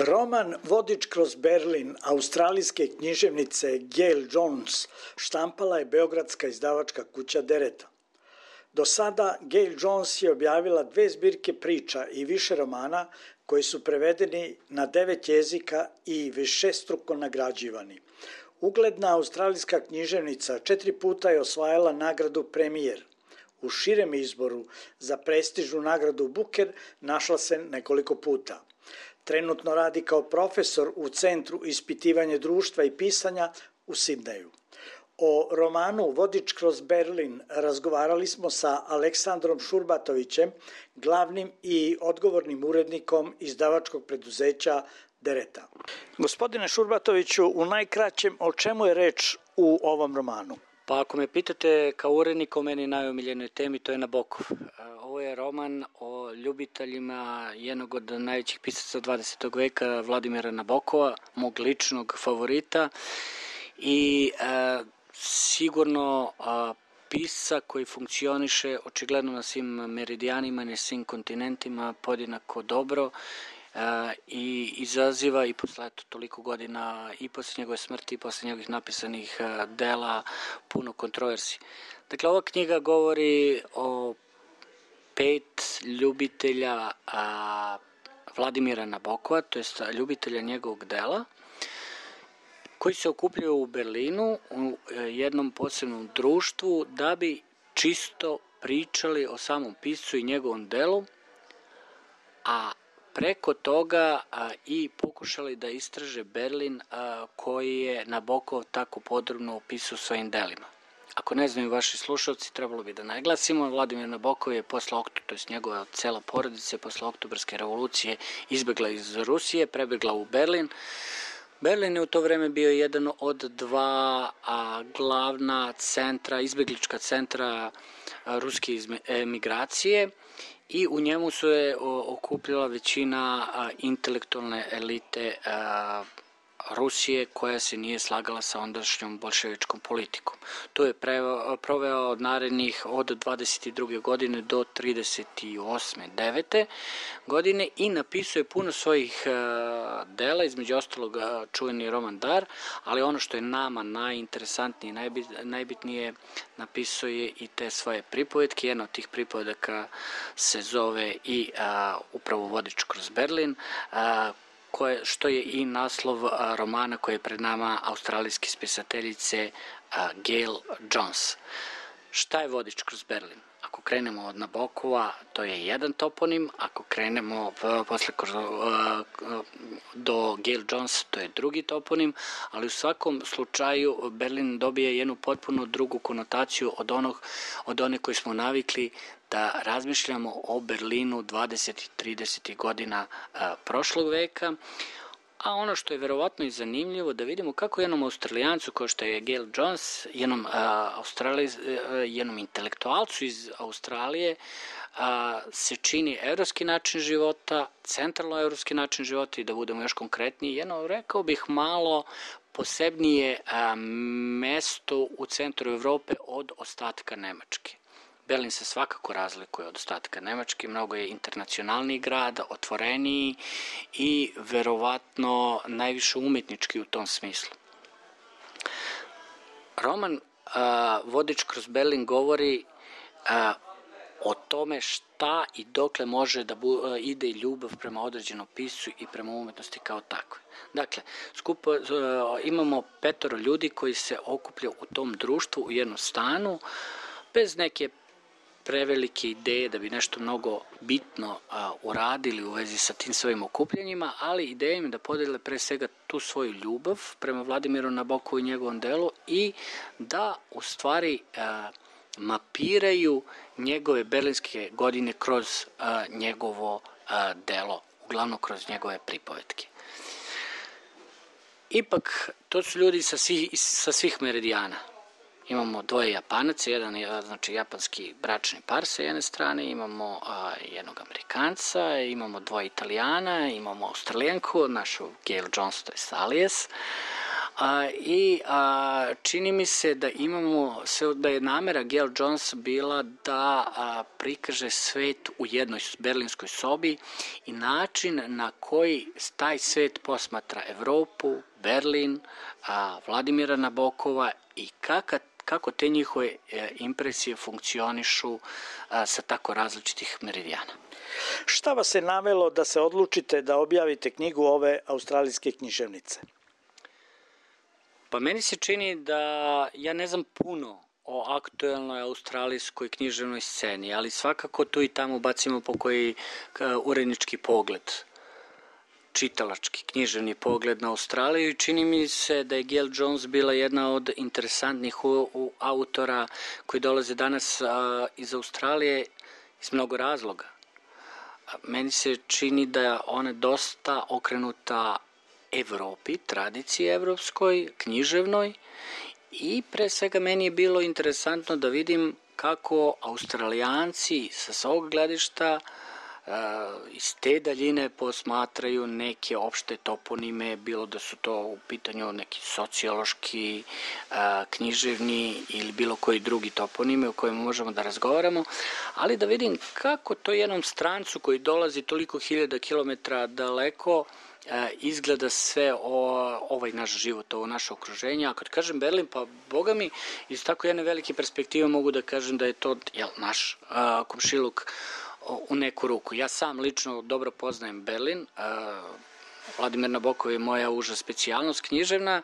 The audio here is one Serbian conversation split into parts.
Roman Vodič kroz Berlin australijske književnice Gail Jones štampala je beogradska izdavačka kuća Dereta. Do sada Gail Jones je objavila 2 zbirke priča i više romana koji su prevedeni na 9 jezika i višestruko nagrađivani. Ugledna australijska književnica 4 puta je osvajala nagradu Premijer. U širem izboru za prestižnu nagradu Booker našla se nekoliko puta. Trenutno radi kao profesor u Centru ispitivanja društva i pisanja u Sidneju. O romanu Vodič kroz Berlin razgovarali smo sa Aleksandrom Šurbatovićem, glavnim i odgovornim urednikom izdavačkog preduzeća Dereta. Gospodine Šurbatoviću, u najkraćem, o čemu je reč u ovom romanu? Pa ako me pitate kao urednik o meni najomiljenoj temi, to je Nabokov. Ovo je roman o ljubiteljima jednog od najvećih pisaca 20. veka, Vladimira Nabokova, mog ličnog favorita i sigurno pisca koji funkcioniše očigledno na svim meridijanima, na svim kontinentima podjednako dobro i izaziva i posle toliko godina i posle njegove smrti i posle njegovih napisanih dela puno kontroverzi. Dakle, ova knjiga govori o 5 ljubitelja Vladimira Nabokova, to jest ljubitelja njegovog dela, koji se okupljaju u Berlinu u jednom posebnom društvu da bi čisto pričali o samom piscu i njegovom delu, a preko toga i pokušali da istraže Berlin koji je Nabokov tako podrobno opisao svojim delima. Ako ne znaju vaši slušalci, trebalo bi da naglasimo, Vladimir Nabokov je posle to jest njegova cela porodica posle Oktobarske revolucije izbegla iz Rusije, prebegla u Berlin. Berlin je u to vreme bio jedan od 2 glavna centra, izbeglička centra ruske emigracije i u njemu su je okupljala većina intelektualne elite Rusije koja se nije slagala sa ondašnjom bolševičkom politikom. To je proveo od narednih od 22. godine do 38. 9. godine i napisao je puno svojih dela, između ostalog čuveni roman Dar, ali ono što je nama najinteresantnije i najbitnije, napisao je i te svoje pripovetke. Jedna od tih pripovedaka se zove i upravo Vodič kroz Berlin, što je i naslov romana koji je pred nama australijske spisateljice Gail Jones. Šta je Vodič kroz Berlin? Ako krenemo od Nabokova, to je jedan toponim, ako krenemo posle do Gail Jones, to je drugi toponim, ali u svakom slučaju Berlin dobije jednu potpuno drugu konotaciju od one koje smo navikli da razmišljamo o Berlinu 20. i 30. godina prošlog veka, a ono što je verovatno i zanimljivo da vidimo kako jednom Australijancu kao što je Gail Jones, jednom intelektualcu iz Australije se čini evropski način života, centralno evropski način života i da budemo još konkretniji, rekao bih malo posebnije mesto u centru Evrope od ostatka Nemačke. Berlin se svakako razlikuje od ostatka Nemačke, mnogo je internacionalniji grad, otvoreniji i verovatno najviše umetnički u tom smislu. Roman Vodič kroz Berlin govori o tome šta i dokle može da ide ljubav prema određenom piscu i prema umetnosti kao takve. Dakle, imamo 5 ljudi koji se okuplja u tom društvu u jednom stanu, bez neke prevelike ideje da bi nešto mnogo bitno uradili u vezi sa tim svojim okupljanjima, ali ideja im da podele pre svega tu svoju ljubav prema Vladimiru Nabokovu i njegovom delu i da u stvari mapiraju njegove berlinske godine kroz njegovo delo, uglavnom kroz njegove pripovetke. Ipak, to su ljudi sa svih meridijana. Imamo 2 Japanaca, jedan je japanski bračni par sa jedne strane, imamo jednog Amerikanca, imamo 2 Italijana, imamo Australijanku, našu Gail Jones, to je Alias, čini mi se da da je namera Gail Jones bila da prikaže svet u jednoj berlinskoj sobi i način na koji taj svet posmatra Evropu, Berlin, Vladimira Nabokova i kako te njihove impresije funkcionišu sa tako različitih meridijana. Šta vas je navelo da se odlučite da objavite knjigu ove australijske književnice? Pa meni se čini da ja ne znam puno o aktuelnoj australijskoj književnoj sceni, ali svakako tu i tamo bacimo po koji urednički pogled, čitalački, književni pogled na Australiju i čini mi se da je Gail Jones bila jedna od interesantnih autora koji dolaze danas iz Australije iz mnogo razloga. Meni se čini da je ona dosta okrenuta Evropi, tradiciji evropskoj, književnoj i pre svega meni je bilo interesantno da vidim kako Australijanci sa svog gledišta iz te daljine posmatraju neke opšte toponime, bilo da su to u pitanju neki sociološki, književni ili bilo koji drugi toponime o kojima možemo da razgovaramo, ali da vidim kako to jednom strancu koji dolazi toliko hiljada kilometra daleko izgleda sve ovaj naš život, ovo naše okruženje. A kad kažem Berlin, pa boga mi, iz tako jedne velike perspektive mogu da kažem da je to naš komšiluk u neku ruku. Ja sam lično dobro poznajem Berlin, Vladimir Nabokov je moja uža specijalnost književna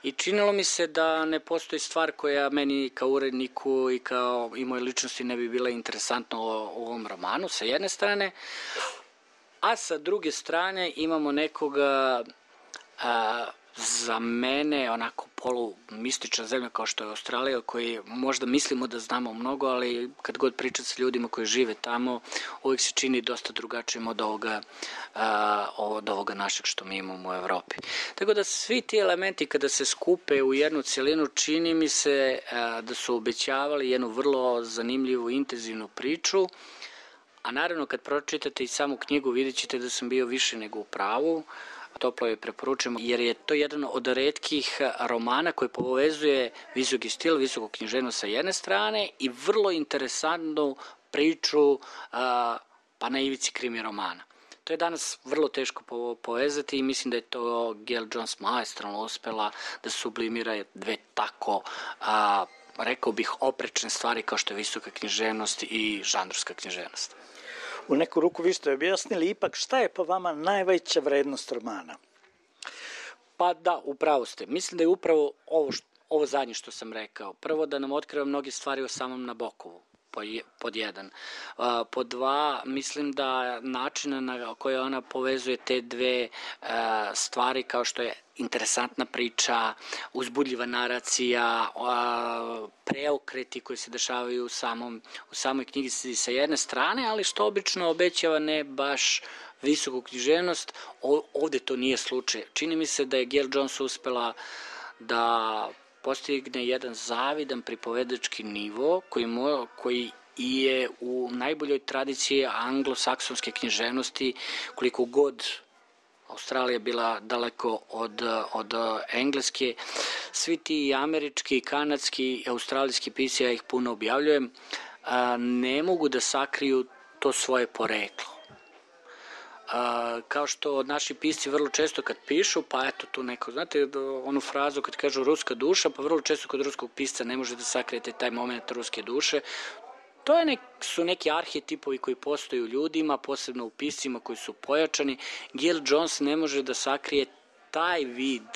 i činilo mi se da ne postoji stvar koja meni kao uredniku i moje ličnosti ne bi bila interesantna u ovom romanu, sa jedne strane, a sa druge strane imamo nekoga za mene onako polumistična zemlja kao što je Australija, koji možda mislimo da znamo mnogo, ali kad god pričam sa ljudima koji žive tamo, uvijek se čini dosta drugačijim od ovoga našeg što mi imamo u Evropi. Tako da svi ti elementi kada se skupe u jednu celinu, čini mi se da su obećavali jednu vrlo zanimljivu, intenzivnu priču, a naravno kad pročitate i samu knjigu vidjet ćete da sam bio više nego u pravu. Toplo je preporučujem jer je to jedan od retkih romana koji povezuje visoki stil, visoko književnost sa jedne strane i vrlo interesantnu priču pa na ivici krimi romana. To je danas vrlo teško povezati i mislim da je to Gail Jones maestralno uspela da sublimira dve tako rekao bih oprečne stvari kao što je visoka književnost i žanrovska književnost. U neku ruku vi ste objasnili, ipak šta je po vama najveća vrednost romana? Pa da, upravo ste. Mislim da je upravo ovo zadnje što sam rekao. Prvo da nam otkriva mnoge stvari o samom Nabokovu, pod jedan. Pod dva, mislim da način na koji ona povezuje te dve stvari kao što je interesantna priča, uzbudljiva naracija, preokreti koji se dešavaju u samoj knjizi sa jedne strane, ali što obično obećava ne baš visoku književnost, ovde to nije slučaj. Čini mi se da je Gail Jones uspela da postigne jedan zavidan pripovedački nivo koji je u najboljoj tradiciji anglosaksonske književnosti, koliko god Australija bila daleko od engleske. Svi ti američki, kanadski, australijski pisci, ja ih puno objavljujem, ne mogu da sakriju to svoje poreklo. Kao što naši pisci vrlo često kad pišu, pa eto tu neko, znate onu frazu kad kažu ruska duša, pa vrlo često kod ruskog pisca ne može da sakrijete taj moment ruske duše. To su neki arhetipovi koji postoje u ljudima, posebno u piscima koji su pojačani. Gail Jones ne može da sakrije taj vid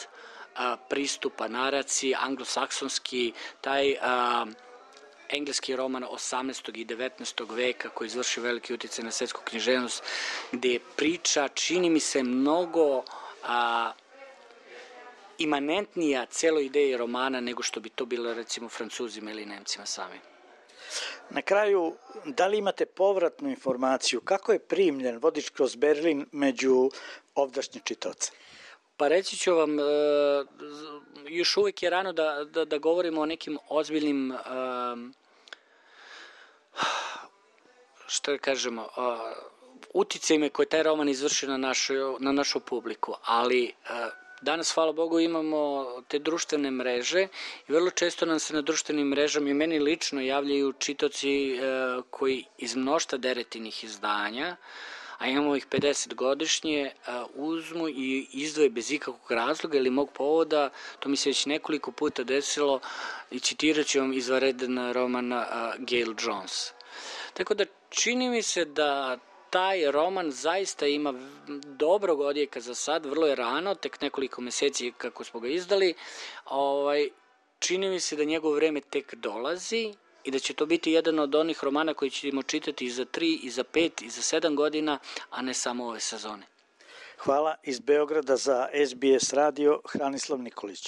pristupa naraciji, anglosaksonski, taj engleski roman 18. i 19. veka koji izvrši veliki uticaj na svetsku književnost, gde je priča, čini mi se, mnogo imanentnija celoj ideji romana nego što bi to bilo recimo Francuzima ili Nemcima sami. Na kraju, da li imate povratnu informaciju kako je primljen Vodič kroz Berlin među ovdašnje čitaoce? Pa reći ću vam, još uvijek je rano da govorimo o nekim ozbiljnim, što da kažemo, uticajima koje taj roman izvrši na našu publiku, ali Danas, hvala Bogu, imamo te društvene mreže i vrlo često nam se na društvenim mrežama i meni lično javljaju čitaoci koji iz mnoštva Deretinih izdanja, a imamo ih 50 godišnje, uzmu i izdvoje bez ikakvog razloga ili mog povoda, to mi se već nekoliko puta desilo, i citirat ću vam izvanredan roman Gail Jones. Tako da čini mi se da taj roman zaista ima dobrog odjeka za sad, vrlo je rano, tek nekoliko meseci kako smo ga izdali, čini mi se da njegovo vreme tek dolazi i da će to biti jedan od onih romana koji ćemo čitati i za 3, i za 5, i za 7 godina, a ne samo ove sezone. Hvala. Iz Beograda za SBS radio Hranislav Nikolić.